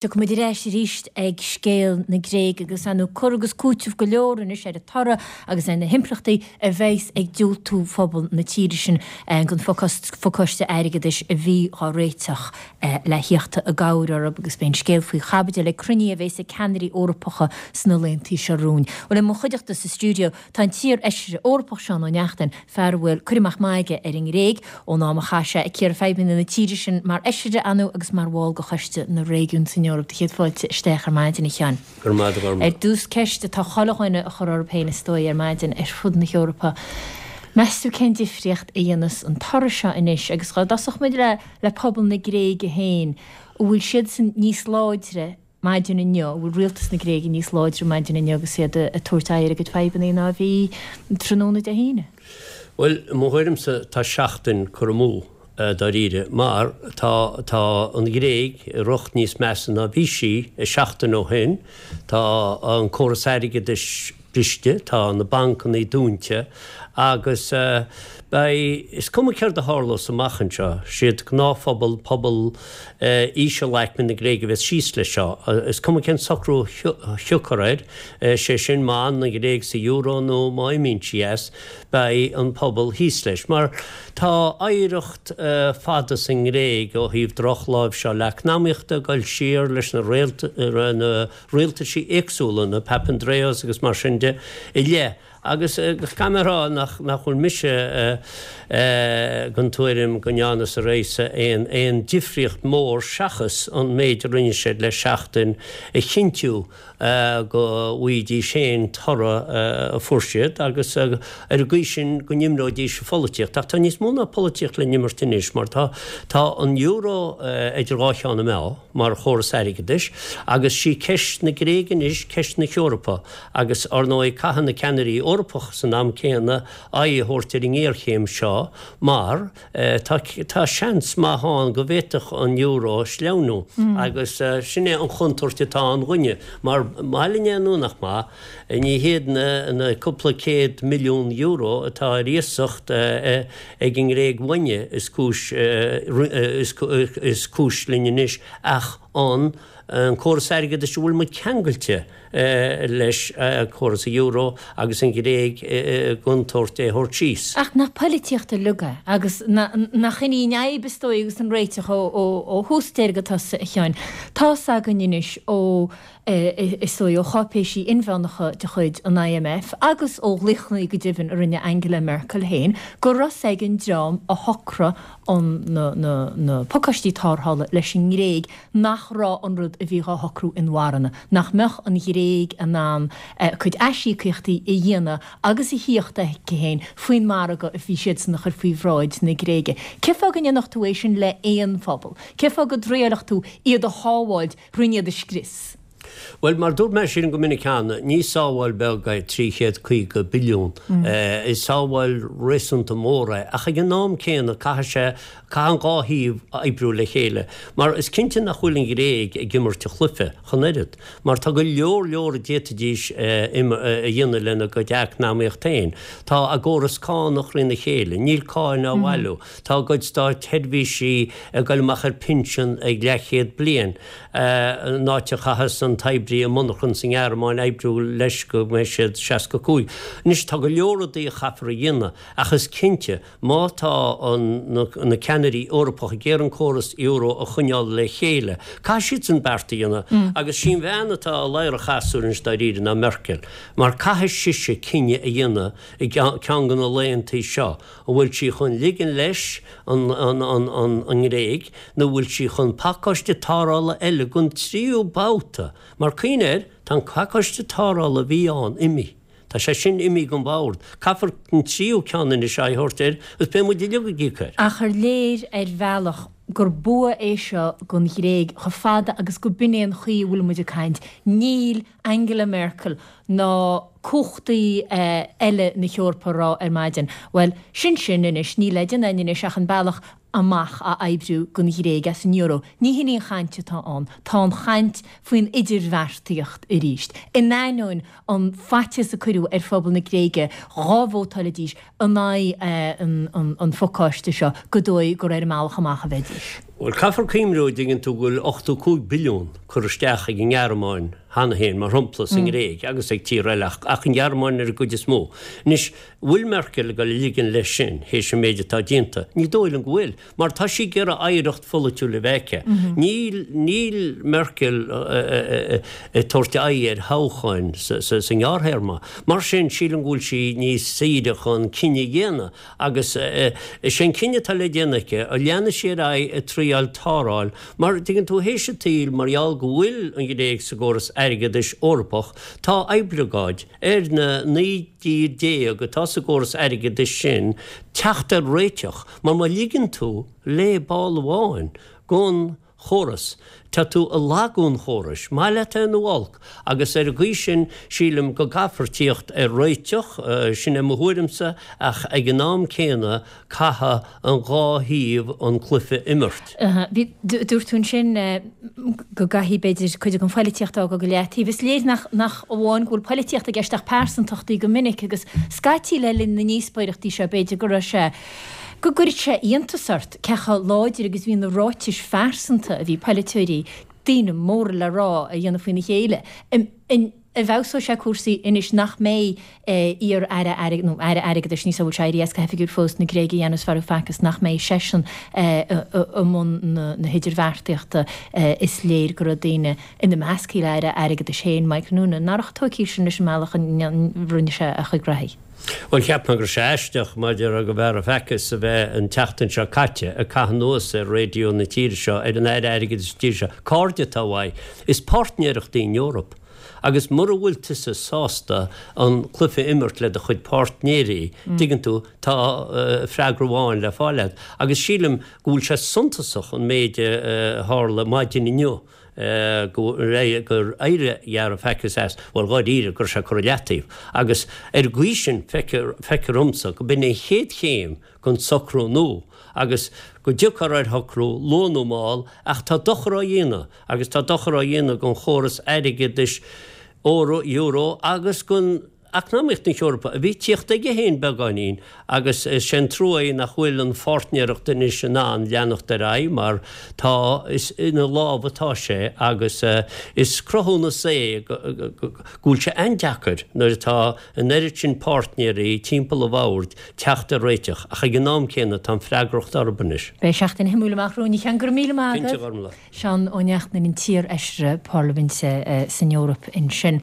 Tiocfaidh muid ar ais arís ag scéal na Gréige agus ar ndóigh cur agus cúiteamh go leor anois ar an toradh agus ar na himpleachtaí a bheas ag diúltú phobal na tíre sin don phacáiste airgeadais a bhí dhá réiteach le thíocht i gcabhair orthu agus beidh an scéal faoi chaibidil ag cruinniú a bheas ag ceannairí Eorpacha sna laethanta seo romhainn. Bhuel i mo chuideachta sa stiúideo Tá an t-iar-fheisire Eorpach Seán Ó Neachtain, fear a bhfuil cur amach maith aige ar an nGréig, ón am a chaith sé ag cíoradh fadhbanna na tíre sin mar fheisire ann agus mar bhall de Choiste na Réigiún san Eoraip. Do chéad fáilte isteach ar maidin, a Sheáin. Go raibh maith agat, a Ghormfhlaith. Ar dtús, ceist atá chuile dhuine a chur orthu féin is dóigh ar maidin ar fud na hEorpa. Meas tú cén difríocht a dhéanfas an toradh seo anois agus dá dtosódh muid le le pobal na Gréige féin, an bhfuil siadsan níos láidre maidin inniu, an bhfuil rialtas na Gréige níos láidre maidin inniu agus iad ag tabhairt aghaidh ar a gcuid fadhbanna ná a bhí tráthnóna Dé hAoine? Bhuel, i mo thuairimse tá seachtain curtha amú dáiríre mar tá tá an Ghréig i riocht níos measa ná bhí sí seachtain ó shin. Tá an córas airgeadais briste, tá na bancannaí dúnta agus beidh, is cuma céard a tharlós amach anseo, siad gnáthphobal, pobal ísealaicme na Gréige a bheas síos leis seo. Is cuma cén socrú a thiocfar air, sé sin má fhanann an Ghréig sa euro nó má imíonn sí as, beidh an pobal thíos leis. Mar tá oidhreacht fada sa nGréig ó thaobh drochláimhseáil eacnamaíochta ag dul siar leis na rialtaisí éagsúla, na Papandreous agus mar sin de, i leith. Agus caithfidh mé a rá nach bhfuil mise den tuairim go ndearna Syriza aon aon difríocht mhór seachas an méid a rinne siad le seachtain a chinntiú go bhfaighidís féin toradh a fuair siad agus ar an gcaoi sin go n-imreoidís an pholaitíocht. Ach tá níos mó ná polaitíocht le n-imirt anois mar tá tá an euro idir dhá cheann na meá. mar chóras airgeadais, agus sí ceist na Gréige anois ceist na hEorpa, agus ár ndóigh caithfidh na ceannairí Eorpacha san am céanna aghaidh a thabhairt ar an ngéarchéim seo mar tá tá seans maith ann go bhféadfadh an euro sleamhnú agus sin é an chontúirt atá ann dhúinne mar maith linn é nó nach maith ní hiad na na cúpla céad milliún euro atá ar iasacht ag an nGréig uainne is cúis is cúis linn anois ach an córas airgeadais a bhfuil muid ceangailte leis, córas an euro agus an Ghréig i gcontúirt é a thabhairt síos. Ach nach poilitíocht uilig é agus nach in í an fhadhb is dóigh agus an réiteach ó thús deireadh go tosaigh, a Sheáin. Tá's againn anois ó is dóigh, ó cháipéisí inmheánacha de chuid an IMF agus ó ghlaochanna go deimhin a rinne Angela Merkel féin, go raibh 's ag an dream a shocraigh an na pacáistí tarrthála leis an nGréig nach raibh an rud a bhí dhá shocrú inmharthana, nach mbeadh an Ghréig in ann a cuid aisíocaíochtaí a dhéanamh agus a thíocht aici féin faoin margadh a bhí siadsan a chur faoi bhráid na Gréige. Cén fáth go ndéanfadh tú é sin le haon phobal? Cén fáth go dtriailfeadh tú iad a shábháilt roimh iad a scrios. Bhuel, mar dúirt mé sin go minic cheana, ní sábháil beag é 350 billiún. Is sábháil réasúnta mór é, ach ag an am céanna caithfidh sé, caithfidh an dhá thaobh oibriú le chéile. Mar is cinnte nach bhfuil an Ghréig ag imirt a chluiche ach an oiread, mar tá go leor leor a d'fhéadfaidís a dhéanamh lena gcuid eacnamaíocht féin. Tá a gcóras cánach thrína chéile, níl cáin á bhailiú. Tá a gcuid státsheirbhísí ag dul amach ar pinsean ag leathchéad bliain, in áit a chaitheas an t-oibrí i monarchan sa nGearmáin oibriú leis go mbeidh siad 65. Anois, tá go leor rudaí a chaithfear a dhéanamh, ach is cinnte, má tá na ceannairí Eorpacha ag iarraidh an córas euro a choinneáil le chéile, caithfidh siadsan beart a dhéanamh. Agus sí an bhean atá i ladhar an chasúir anois dáiríre ná Merkel, mar caithfidh sise cinneadh a dhéanamh i gceann de na laethantaí seo. An bhfuil sí chun ligean leis an nGréig nó an bhfuil sí chun pacáiste tarrthála eile don tríú babhta? Mar cuimhnigh air, tá an pacáiste tarrthála a bhí ann imithe. Tá sé sin imithe den bhord. Caithfear an tríú ceann anois aghaidh a thabhairt air agus beidh muid uilig ag íoc air. Ach ar léir ar bhealach gur bua é seo don Ghréig chomh fada agus go b'in é an chaoi a bhfuil muid ag caint? Níl Angela Merkel ná cumhachtaí eile na hEorpa a rá ar maidin, bhuel, sin sin anois, níl le déanamh againn anois ach an bealach amach a oibriú don Ghréig as an euro. Ní hin í an chaint atá ann. Tá an chaint faoin idirbheartaíocht arís. In ainneoin an faitíos a cuireadh ar phobal na Gréige dhá vótáilfidís in aghaidh an phacáiste seo, gur dóigh gur ar an mbealach amach a bheidís. Bhuel, caithfear cuimhniú, an dtuigeann tú, go bhfuil 85 billiún curtha isteach ag an nGearmáin cheana féin, mar shampla, sa nGréig agus ag tíortha eile, ach an Ghearmáin ar an gcuid is mó. Anois, bhfuil Merkel ag dul a ligean leis sin, théis an méid atá déanta? Ní dóigh liom go bhfuil, mar tá sí ag iarraidh oidhreacht pholaitiúil a bheith aici. Níl, níl Merkel ag tabhairt aghaidh ar thoghcháin sa ngearrthéarma. Mar sin, sílim go bhfuil sí níos saoire chun cinneadh a dhéanamh. Agus is é an cinneadh atá le déanamh aici, an leanfaidh sí ar aghaidh ag triáil tarrtháil, mar, tuigeann tú, théis an tsaoil, mar gheall go bhfuil an Ghréig sa gcóras airgeadais Eorpach, tá oibleagáid ar na 19 dtír atá sa gcóras airgeadais sin teacht ar réiteach, mar má ligeann tú le ball amháin gon chóras. Tá tú ag lagú an chórais, maith leat é nó olc, agus ar an gcaoi sin sílim go gcaithfear tíocht ar réiteach, sin é mo thuairimse, ach ag an am céanna caithfidh an dhá thaobh an cluiche a imirt. Bhí, dúirt tú ansin go gcaithfidh b'fhéidir cuid den phoilitíocht a fhágáil go leataobh. Is léir nach, nach amháin go bhfuil poilitíocht i gceist ach pearsantachtaí go minic agus scaití le linn na ndíospóireachtaí seo b'fhéidir go raibh sé, go gcuirfeadh sé iontas ort cé chomh láidir agus bhí na ráitis phearsanta a bhí polaiteoirí, daoine móra le rá, a dhéanamh faoina chéile. An bhfeabhsóidh sé cúrsaí anois nach mbeidh iar-aire airgeadais, nó aire airgeadais, níl a fhios an bhfuil sé éirithe as go hoifigiúil fós, na Gréige, Yanis Varoufakis, nach mbeidh seisean i mbun na hidirbheartaíochta. Is léir go raibh daoine, ina measc a iar-aire airgeadais féin, Michael Noonan, nach raibh tógtha sin leis an mbealach a rinne sé a chuid graithí. Bhuel, cheap mé go raibh sé aisteach maidir le Varoufakis a bheith an tseachtain seo caite ag caitheamh anuas ar raidió na tíre seo, ar an Aire Airgeadais na tíre seo. Cairde atá uaidh. Is páirtnéireacht í an Eoraip. Agus mura bhfuil tusa sásta an cluiche a imirt le do chuid páirtnéirí, tuigeann tú, tá freagra amháin le fáil agat. Agus sílim go bhfuil sé suntasach an méid a tharla maidin inniu. gur éirigh Varoufakis as, bhuel, dháiríre, go raibh sé curtha i leataobh. Agus ar an gcaoi sin, feictear dhomsa go b'in an chéad chéim don socrú nua, agus go dtiocfar ar shocrú, luath nó mall, ach tá dochar á dhéanamh, agus tá dochar á dhéanamh don chóras airgeadais euro, euro, agus don. eacnamaíocht na hEorpa, a bhí ag tíocht aige féin beagáinín, agus is é an trua é nach bhfuil an pháirtnéireacht anois in ann leanacht ar aghaidh mar tá, is ina lámh atá sé agus is cruthúnas é go bhfuil sé an-deacair nuair atá an oiread sin páirtnéirí timpeall an bhoird teacht ar réiteach ach ag an am céanna tá an freagracht orthu anois. Beidh seachtain shuimiúil amach romhainn, a Sheáin. Go raibh míle maith agat. Cinnte, a Ghormfhlaith. Seán Ó Neachtain, an t-iar-fheisire parlaiminte san Eoraip ansin.